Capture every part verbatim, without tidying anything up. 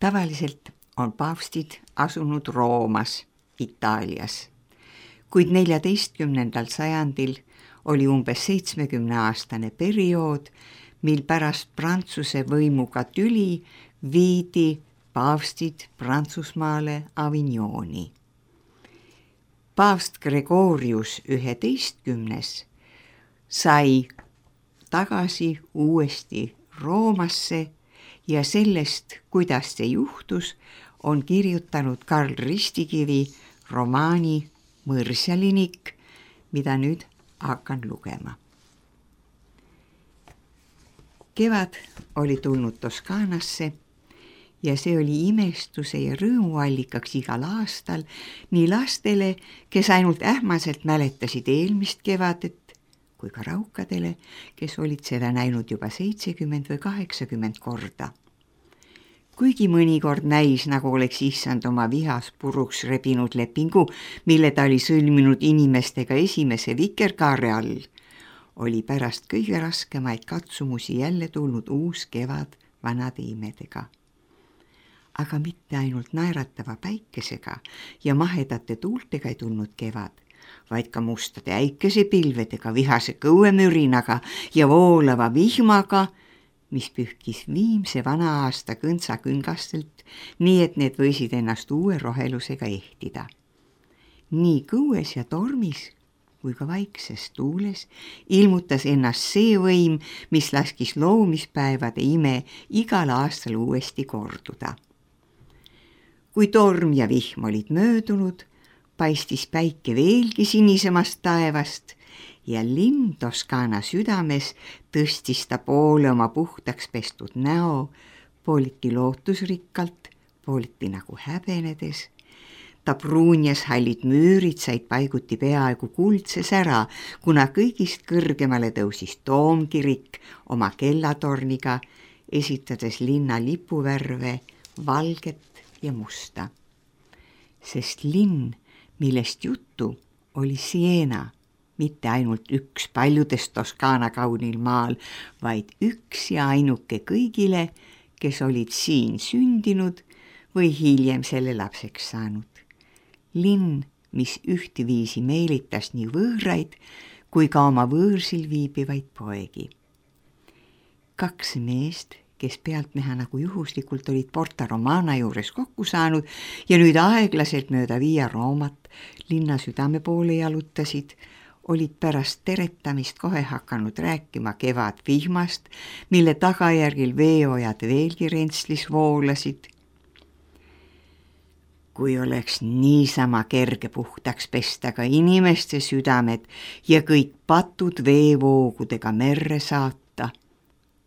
Tavaliselt on paavstid asunud Roomas, Itaalias, kuid neljateistkümnendal sajandil oli umbes seitsmekümne aastane periood, mil pärast Prantsuse võimuga tüli viidi paavstid Prantsusmaale Avignoni. Paavst Gregorius üheteistkümnes sai tagasi uuesti Roomasse ja sellest, kuidas see juhtus, on kirjutanud Karl Ristikivi romaani Mõrsjalinik, mida nüüd hakkan lugema. Kevad oli tulnud Toskaanasse ja see oli imestuse ja rõõmuallikaks igal aastal nii lastele, kes ainult ähmaselt mäletasid eelmist kevadet, kui ka raukadele, kes olid seda näinud juba seitsekümmend või kaheksakümmend korda. Kuigi mõnikord näis, nagu oleks issand oma vihas puruks rebinud lepingu, mille ta oli sõlminud inimestega esimese vikerkaare all, oli pärast kõige raskemaid katsumusi jälle tulnud uus kevad vanade imedega. Aga mitte ainult naeratava päikesega ja mahedate tuultega ei tulnud kevad, vaid ka mustade äikesepilvedega, vihase kõuemürinaga ja voolava vihmaga, mis pühkis viimse vana aasta kõntsa küngastelt, nii et need võisid ennast uue rohelusega ehtida. Nii kõues ja tormis kui ka vaikses tuules ilmutas ennast see võim, mis laskis loomispäevade ime igal aastal uuesti korduda. Kui torm ja vihm olid möödunud, paistis päike veelgi sinisemast taevast ja linn Toskaana südames tõstis ta poole oma puhtaks pestud näo, pooliti lootusrikkalt, pooliti nagu häbenedes. Ta pruunjas hallid müürid said paiguti peaaegu kuldses ära, kuna kõigist kõrgemale tõusis toomkirik oma kellatorniga, esitades linna lipuvärve, valget ja musta. Sest linn, millest juttu, oli Siena, mitte ainult üks paljudest Toskaana kaunil maal, vaid üks ja ainuke kõigile, kes olid siin sündinud või hiljem selle lapseks saanud. Linn, mis ühtviisi meelitas nii võõraid kui ka oma võõrsil viibivaid poegi. Kaks meest, kes pealtnäha nagu juhuslikult olid Porta Romana juures kokku saanud ja nüüd aeglaselt mööda Via Roomat linna südame poole jalutasid, olid pärast teretamist kohe hakanud rääkima kevad vihmast, mille tagajärgil veeojad veelgi rentslis voolasid. Kui oleks niisama kerge puhtaks pesta ka inimeste südamed ja kõik patud veevoogudega merre saata,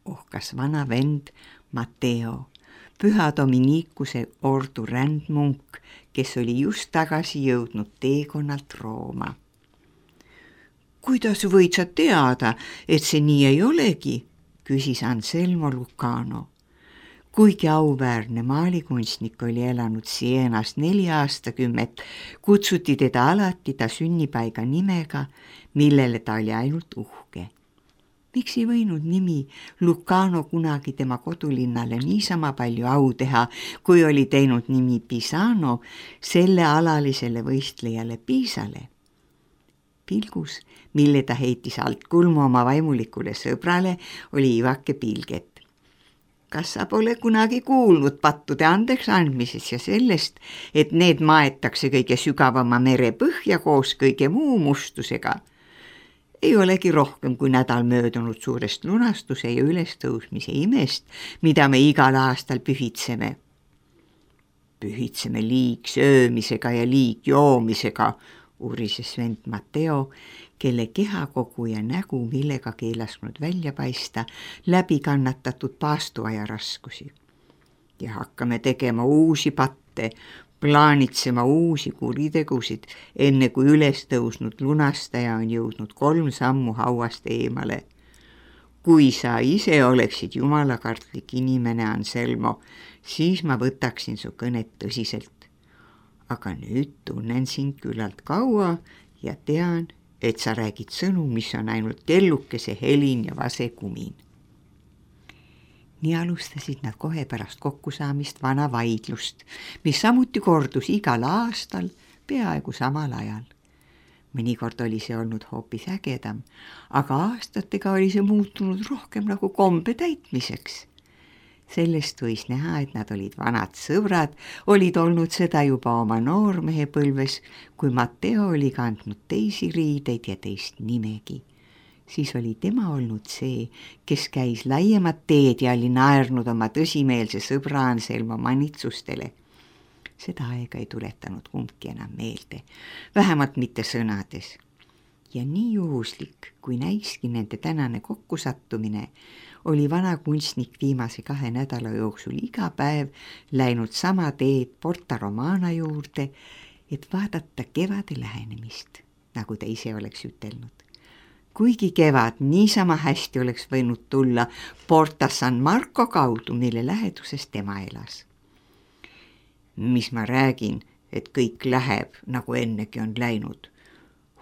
ohkas vana vend Matteo, püha Dominikuse ordu rändmunk, kes oli just tagasi jõudnud teekonnalt Rooma. Kuidas võid sa teada, et see nii ei olegi, küsis Anselmo Lucano. Kuigi auväärne maalikunstnik oli elanud Sienas neli aastakümmet, kutsuti teda alati ta sünnipaiga nimega, millele ta oli ainult uhke. Miks ei võinud nimi Lucano kunagi tema kodulinnale niisama palju au teha, kui oli teinud nimi Pisano selle alalisele võistlejale Piisale? Pilgus, mille ta heitis alt kulmu oma vaimulikule sõbrale, oli ivake pilget. Kas sa pole kunagi kuulnud pattude andeks andmises ja sellest, et need maetakse kõige sügavama mere põhja koos kõige muu mustusega? Ei olegi rohkem kui nädal möödunud suurest lunastuse ja ülestõusmise imest, mida me igal aastal pühitseme. Pühitseme liig söömisega ja liig joomisega, uurises vend Matteo, kelle kehakogu ja nägu millegagi ei lasknud välja paista läbi kannatatud paastuaja raskusi. Ja hakkame tegema uusi patte, plaanitsema uusi kuritegusid, enne kui üles tõusnud lunastaja on jõudnud kolm sammu hauast eemale. Kui sa ise oleksid jumalakartlik inimene, Anselmo, siis ma võtaksin su kõnet tõsiselt. Aga nüüd tunnen sind küllalt kaua ja tean, et sa räägid sõnu, mis on ainult kellukese helin ja vase kumin. nii alustasid nad kohe pärast kokkusaamist vana vaidlust, mis samuti kordus igal aastal peaaegu samal ajal. Mõnikord oli see olnud hoopis ägedam, aga aastatega oli see muutunud rohkem nagu kombe täitmiseks. Sellest võis näha, et nad olid vanad sõbrad, olid olnud seda juba oma noormehe põlves, kui Matteo oli kandnud teisi riideid ja teist nimegi. Siis oli tema olnud see, kes käis laiemat teed ja oli naernud oma tõsimeelse sõbra Anselmo manitsustele. Seda aega ei tuletanud kumbki enam meelde, vähemalt mitte sõnades. Ja nii juhuslik, kui näiski nende tänane kokkusattumine, oli vana kunstnik viimase kahe nädala jooksul iga päev läinud sama teed Porta Romana juurde, et vaadata kevade lähenemist, nagu ta ise oleks ütelnud. Kuigi kevad niisama hästi oleks võinud tulla Porta San Marco kaudu, mille läheduses tema elas. Mis ma räägin, et kõik läheb, nagu ennegi on läinud.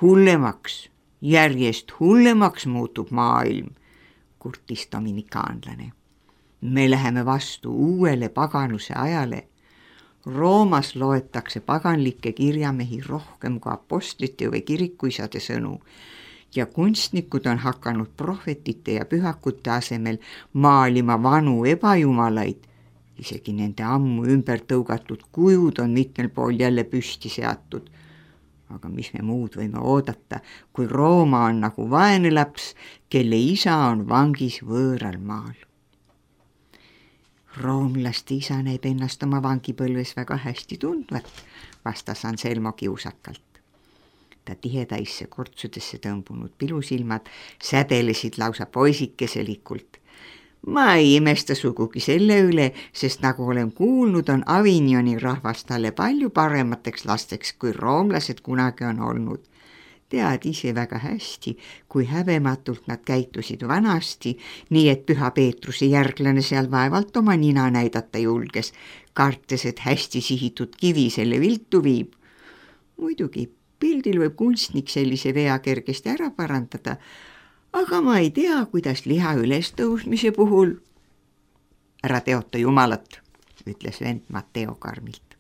Hullemaks, järjest hullemaks muutub maailm, kurtis dominikaanlane. Me läheme vastu uuele paganuse ajale. Roomas loetakse paganlikke kirjamehi rohkem kui apostlite või kirikuisade sõnu ja kunstnikud on hakanud prohvetite ja pühakute asemel maalima vanu ebajumalaid. Isegi nende ammu ümber tõugatud kujud on mitmel pool jälle püsti seatud. Aga mis me muud võime oodata, kui Rooma on nagu vaene laps, kelle isa on vangis võõral maal. Roomlaste isa näib ennast oma vangipõlves väga hästi tundvat, vastas Anselmo kiusakalt. Ta tihedaisse kortsudesse tõmbunud pilusilmad sädelesid lausa poisikeselikult. Ma ei imesta sugugi selle üle, sest nagu olen kuulnud, on Avignoni rahvas talle palju paremateks lasteks, kui roomlased kunagi on olnud. Tead ise väga hästi, kui häbematult nad käitusid vanasti, nii et Püha Peetruse järglane seal vaevalt oma nina näidata julges, kartes, et hästi sihitud kivi selle viltu viib. Muidugi, pildil võib kunstnik sellise vea kergesti ära parandada, aga ma ei tea, kuidas liha ülestõusmise puhul. Ära teota jumalat, ütles vend Matteo karmilt.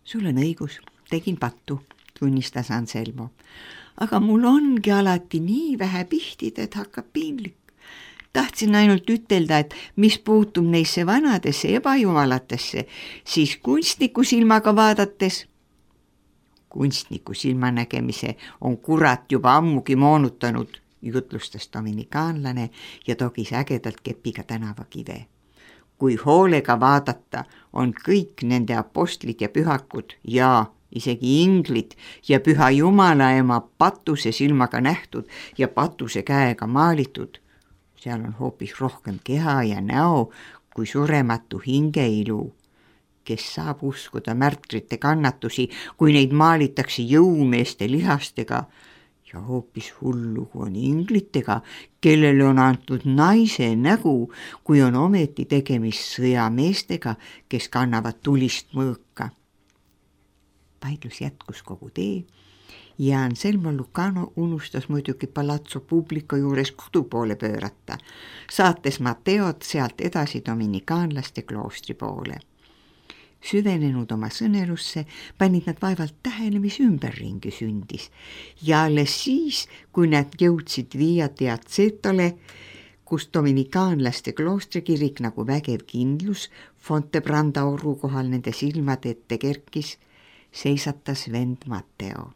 Sul on õigus, tegin pattu, tunnistas Anselmo. Aga mul ongi alati nii vähe pihtida, et hakkab piinlik. Tahtsin ainult ütelda, et mis puutub neisse vanadesse ebajumalatesse, siis kunstniku silmaga vaadates. Kunstniku silmanägemise on kurat juba ammugi moonutanud, jutlustas dominikaanlane ja togis ägedalt kepiga tänavakive. Kui hoolega vaadata, on kõik nende apostlid ja pühakud ja isegi inglid ja Püha Jumala ema patuse silmaga nähtud ja patuse käega maalitud. Seal on hoopis rohkem keha ja näo kui surematu hingeilu. Kes saab uskuda märtrite kannatusi, kui neid maalitakse jõumeeste lihastega, ja hoopis hullugu on inglitega, kellele on antud naise nägu, kui on ometi tegemist sõjameestega, kes kannavad tulist mõõka. Vaidlus jätkus kogu tee ja Anselmo Lucano unustas muidugi Palazzo Publico juures kodu poole pöörata, saates Matteod sealt edasi dominikaanlaste kloostri poole. Süvenenud oma sõnelusse, panid nad vaevalt tähele, mis ümberringi sündis ja alles siis, kui nad jõudsid Via Piazzetole, kus dominikaanlaste kloostrikirik nagu vägev kindlus Fontebranda oru kohal nende silmade ette kerkis, seisatas vend Matteo.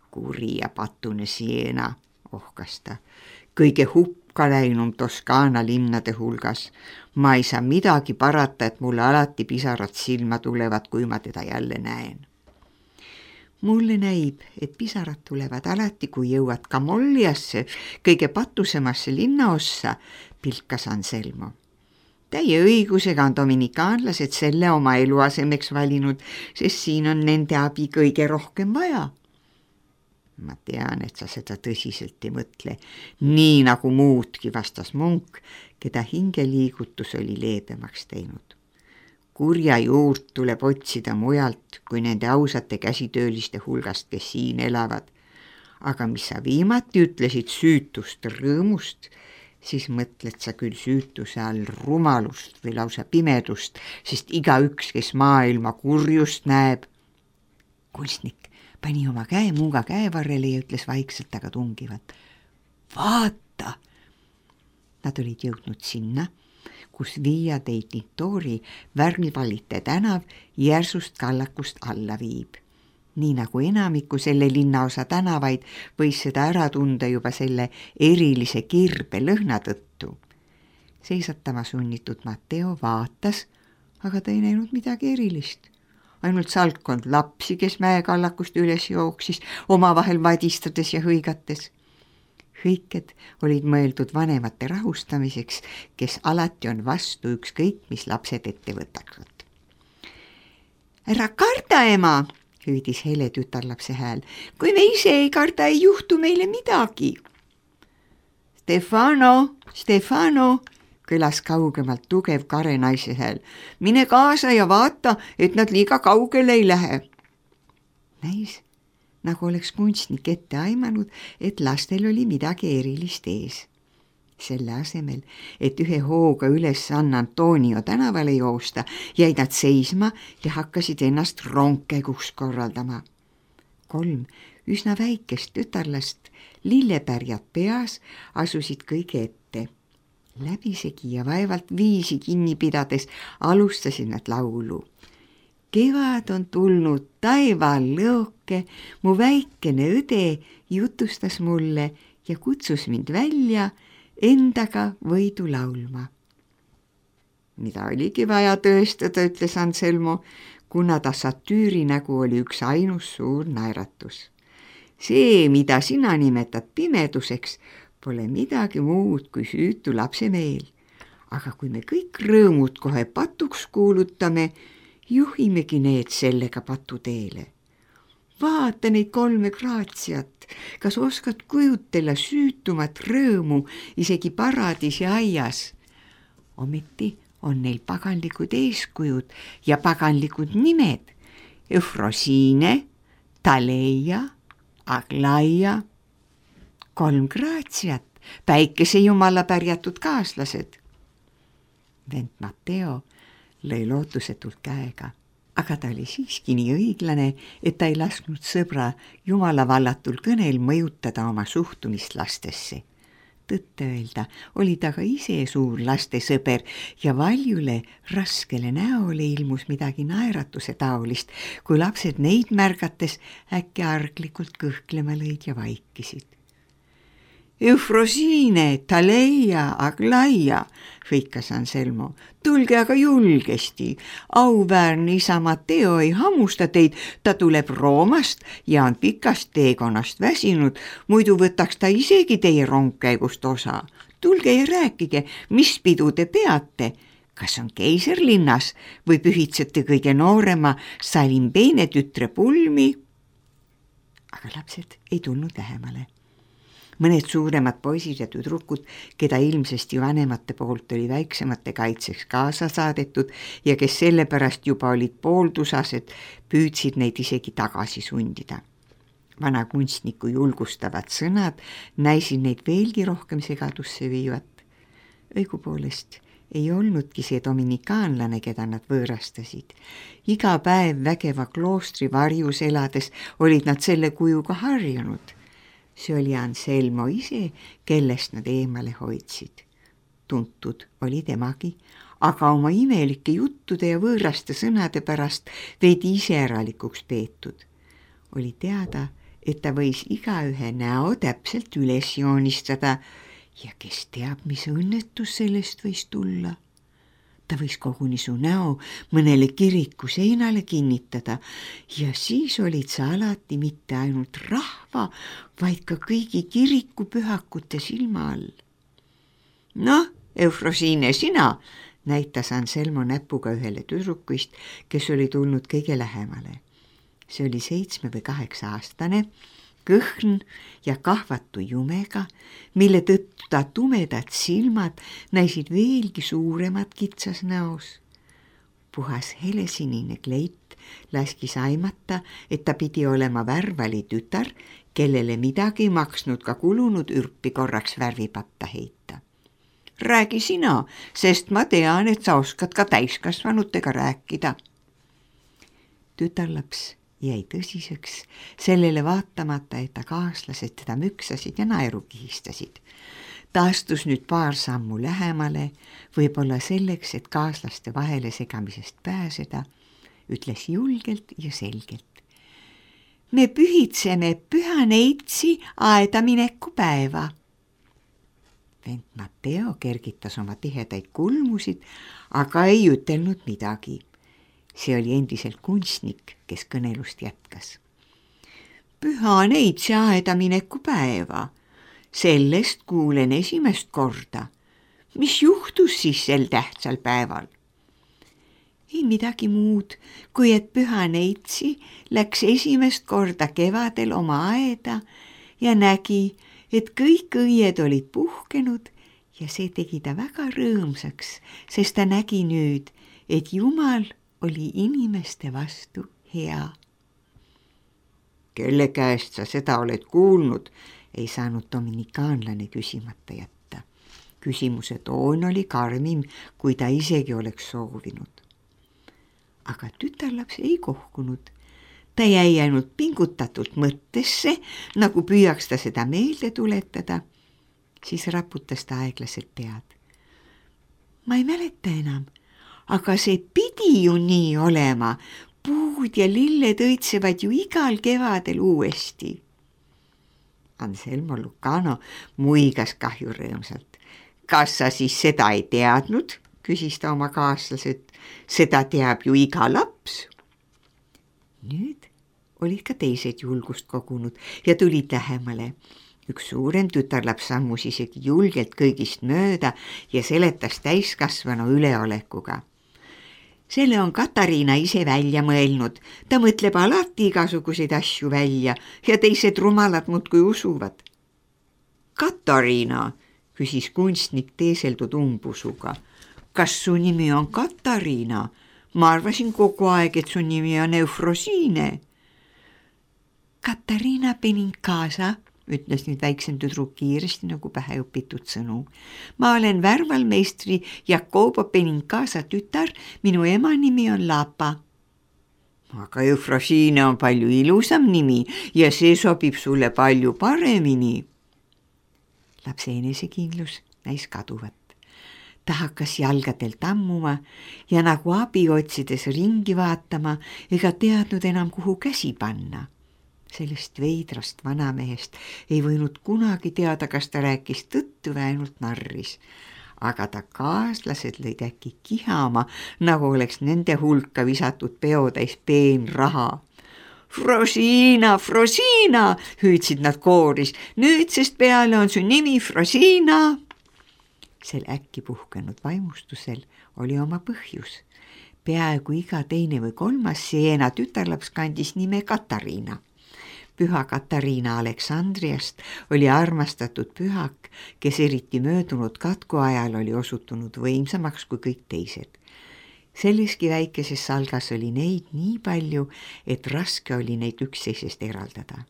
Kuri ja patune Siena, ohkas ta, kõige hukka läinum Toskaana linnade hulgas. Ma ei saa midagi parata, et mulle alati pisarad silma tulevad, kui ma teda jälle näen. Mulle näib, et pisarad tulevad alati, kui jõuad Camolliasse, kõige patusemasse linnaossa, pilkas Anselmo. Täie õigusega on dominikaanlased selle oma eluasemeks valinud, sest siin on nende abi kõige rohkem vaja. Ma tean, et sa seda tõsiselt ei mõtle, nii nagu muudki, vastas munk, keda hingeliigutus oli leebemaks teinud. Kurja juurt tuleb otsida mujalt kui nende ausate käsitööliste hulgast, kes siin elavad. Aga mis sa viimati ütlesid süütust rõõmust, siis mõtled sa küll süütuse all rumalust või lausa pimedust, sest igaüks, kes maailma kurjust näeb. Kunstnik pani oma käe muuga käevarrele ja ütles vaikselt, aga tungivalt. Vaata! Nad olid jõudnud sinna, kus Via dei Tintori värvivalite tänav järsust kallakust alla viib. Nii nagu enamiku selle linnaosa tänavaid võis seda ära tunda juba selle erilise kirbe lõhna tõttu. Seisatama sunnitud Matteo vaatas, aga ta ei näinud midagi erilist. Ainult salkkond lapsi, kes mäekallakust üles jooksis, omavahel vadistades ja hõigates. Hõiked olid mõeldud vanemate rahustamiseks, kes alati on vastu ükskõik, mis lapsed ette võtaksid. Ära karda, ema, hüüdis hele tütarlapse hääl. Kui me ise ei karda, ei juhtu meile midagi. Stefano, Stefano, kõlas kaugemalt tugev kare naise hääl. Mine kaasa ja vaata, et nad liiga kaugele ei lähe. Näis, nagu oleks kunstnik ette aimanud, et lastel oli midagi erilist ees. Selle asemel, et ühe hooga üles San Antonio tänavale joosta, jäid nad seisma ja hakkasid ennast rongkäiguks korraldama. Kolm üsna väikest tütarlast, lillepärjad peas, asusid kõige ette. Läbisegi ja vaevalt viisi kinni pidades alustasid nad laulu. Kevad on tulnud taeval lõoke, mu väikene õde jutustas mulle ja kutsus mind välja endaga võidu laulma. Mida oligi vaja tõestada, ütles Anselmo, kuna ta satüüri nägu oli üks ainus suur naeratus. See, mida sina nimetad pimeduseks, pole midagi muud kui süütu lapse meel. Aga kui me kõik rõõmud kohe patuks kuulutame, juhimegi need sellega patuteele. Vaata neid kolme graatsiat, kas oskad kujutella süütumat rõõmu isegi paradiisi aias? Ometi on neil paganlikud eeskujud ja paganlikud nimed. Eufrosiine, Taleia, Aglaia, kolm graatsiat, päikese jumala pärjatud kaaslased. Vend Matteo lõi lootusetult käega. Aga ta oli siiski nii õiglane, et ta ei lasknud sõbra jumala vallatul kõnel mõjutada oma suhtumist lastesse. Tõtte öelda oli ta ka ise suur lastesõber ja valjule raskele näole ilmus midagi naeratuse taolist, kui lapsed neid märgates äkki arglikult kõhklema lõid ja vaikisid. Eufrosiine, Taleia, Aglaia, hõikas Anselmo. Tulge aga julgesti. Auväärne isa Matteo ei hamusta teid, ta tuleb Roomast ja on pikast teekonnast väsinud, muidu võtaks ta isegi teie rongkäigust osa. Tulge ja rääkige, mis pidu te peate. Kas on keiserlinnas või pühitsete kõige noorema Salimbeene tütre pulmi? Aga lapsed ei tulnud lähemale. Mõned suuremad poisid ja tüdrukud, keda ilmsesti vanemate poolt oli väiksemate kaitseks kaasa saadetud ja kes sellepärast juba olid pooltusased, püüdsid neid isegi tagasi sundida. Vana kunstniku julgustavad sõnad näisid neid veelgi rohkem segadusse viivat. Õigupoolest ei olnudki see dominikaanlane, keda nad võõrastasid. Iga päev vägeva kloostri varjus elades olid nad selle kujuga harjunud. See oli Anselmo ise, kellest nad eemale hoidsid. Tuntud oli temagi, aga oma imelike juttude ja võõraste sõnade pärast veidi iseäralikuks peetud. Oli teada, et ta võis igaühe näo täpselt üles joonistada ja kes teab, mis õnnetus sellest võis tulla. Ta võis koguni su näo mõnele kiriku seinale kinnitada ja siis olid sa alati mitte ainult rahva, vaid ka kõigi kiriku pühakute silma all. Noh, Eufrosiine, sina, näitas Anselmo näpuga ühele tüdrukuist, kes oli tulnud kõige lähemale. See oli seitsme või kaheksa aastane, kõhn ja kahvatu jumega, mille tõttu ta tumedad silmad näisid veelgi suuremad kitsas näos. Puhas helesinine kleit laskis aimata, et ta pidi olema värvali tütar, kellele midagi ei maksnud ka kulunud ürpi korraks värvipatta heita. räägi sina, sest ma tean, et sa oskad ka täiskasvanutega rääkida. Tütarlaps jäi tõsiseks, sellele vaatamata, et ta kaaslased teda müksasid ja naeru kihistasid. Ta astus nüüd paar sammu lähemale, võib-olla selleks, et kaaslaste vahele segamisest pääseda, ütles julgelt ja selgelt. Me pühitseme Püha Neitsi aedamineku päeva. Vend Matteo kergitas oma tihedaid kulmusid, aga ei ütelnud midagi. See oli endiselt kunstnik, kes kõnelust jätkas. Püha Neitsi aedamineku päeva. Sellest kuulen esimest korda. Mis juhtus siis sel tähtsal päeval? Ei midagi muud, kui et Püha Neitsi läks esimest korda kevadel oma aeda ja nägi, et kõik õied olid puhkenud ja see tegi ta väga rõõmsaks, sest ta nägi nüüd, et Jumal oli inimeste vastu hea. Kelle käest sa seda oled kuulnud? Ei saanud dominikaanlane küsimata jätta. Küsimuse toon oli karmim, kui ta isegi oleks soovinud. Aga tütarlaps ei kohkunud. Ta jäi ainult pingutatult mõttesse, nagu püüaks ta seda meelde tuletada. Siis raputas ta aeglaselt pead. Ma ei mäleta enam, aga see pidi ju nii olema. Puud ja lilled õitsevad ju igal kevadel uuesti. Anselmo Lucano muigas kahju rõõmsalt. Kas sa siis seda ei teadnud? Küsis ta oma kaaslaselt. Seda teab ju iga laps. Nüüd olid ka teised julgust kogunud ja tulid lähemale. Üks suurem tütarlaps sammus isegi julgelt kõigist mööda ja seletas täiskasvanu üleolekuga. Selle on Katariina ise välja mõelnud. Ta mõtleb alati igasuguseid asju välja ja teised rumalad muudkui usuvad. Katariina, küsis kunstnik teeseldud umbusuga. Kas su nimi on Katariina? Ma arvasin kogu aeg, et su nimi on Eufrosiine. Katariina Benincasa, ütles nüüd väiksem tüdruk kiiresti nagu pähe õpitud sõnu. Ma olen värvalmeistri Jacobo Benincasa tütar, minu ema nimi on Lapa. Aga Eufrosiine on palju ilusam nimi ja see sobib sulle palju paremini. Lapse enesekindlus näis kaduvat. Ta hakkas jalgadel tammuma ja nagu abi otsides ringi vaatama ega teadnud enam, kuhu käsi panna. Sellest veidrast vanamehest ei võinud kunagi teada, kas ta rääkis tõttu või ainult narris. Aga ta kaaslased lõid äkki kihama, nagu oleks nende hulka visatud peotäis peenraha. Frosina, Frosina, hüüdsid nad kooris. Nüüdsest peale on su nimi Frosina. Sel äkki puhkenud vaimustusel oli oma põhjus. Peaaegu iga teine või kolmas Siena tütarlaps kandis nime Katariina. Püha Katariina Aleksandriast oli armastatud pühak, kes eriti möödunud katku ajal oli osutunud võimsamaks kui kõik teised. Selleski väikeses salgas oli neid nii palju, et raske oli neid üksteisest eraldada.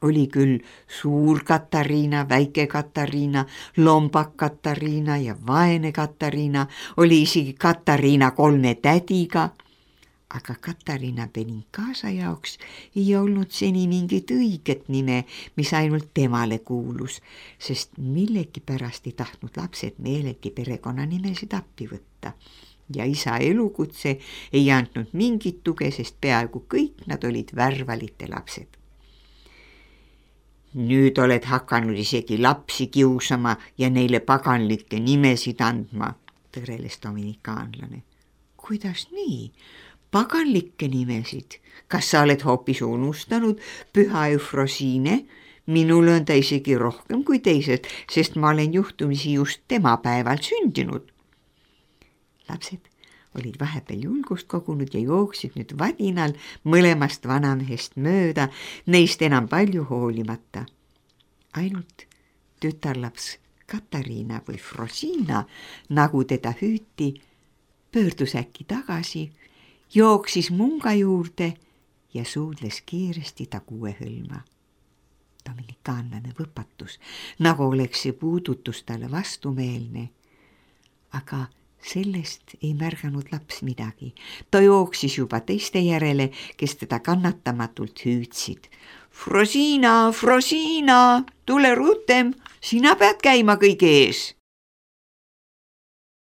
Oli küll suur Katariina, väike Katariina, lombak Katariina ja vaene Katariina, oli isegi Katariina kolme tädiga, aga Katariina Benincasa jaoks ei olnud seni mingit õiget nime, mis ainult temale kuulus, sest millegipärast ei tahtnud lapsed meelegi perekonnanimesid appi võtta. Ja isa elukutse ei andnud mingit tuge, sest peaaegu kõik nad olid värvalite lapsed. Nüüd oled hakanud isegi lapsi kiusama ja neile paganlikke nimesid andma, tõreles dominikaanlane. Kuidas nii? Paganlikke nimesid? Kas sa oled hoopis unustanud Püha Eufrosiine? Minul on ta isegi rohkem kui teised, sest ma olen juhtumisi just tema päeval sündinud. Lapsed olid vahepeal julgust kogunud ja jooksid nüüd vadinal mõlemast vanamehest mööda, neist enam palju hoolimata. Ainult tütarlaps Katariina või Frosina, nagu teda hüüti, pöördus äkki tagasi, jooksis munga juurde ja suudles kiiresti ta kuue hõlma. Dominikaanlane võpatus, nagu oleks see puudutus talle vastumeelne aga sellest ei märganud laps midagi. Ta jooksis juba teiste järele, kes teda kannatamatult hüüdsid. Frosina, Frosina, tule rutem, sina pead käima kõige ees.